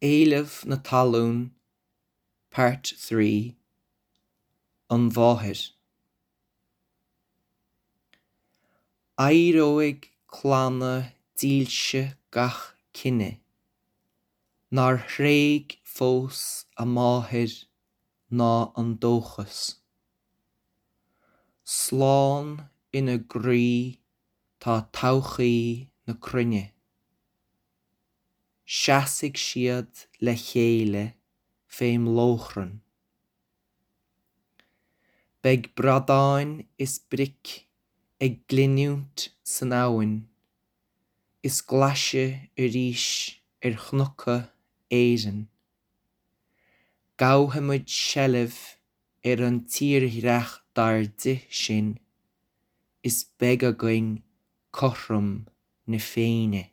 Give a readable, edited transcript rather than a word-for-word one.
Éileamh na Talún Part 3 An Mháthair Éireoidh clanna dílse gach cine Nár thréig fós a máthair ná an dóchas. Slán ina gcroí tá todhchaí na cruinne. Seasfaidh siad le chéile fém lóchrann. Beidh bradáin is bric ag glinniúint san abhainn is glaise arís ar chnoca Éireann. Gabhfaimid seilbh ar an tírdhreach dar di sin is beidh againn cothrom na Féinne.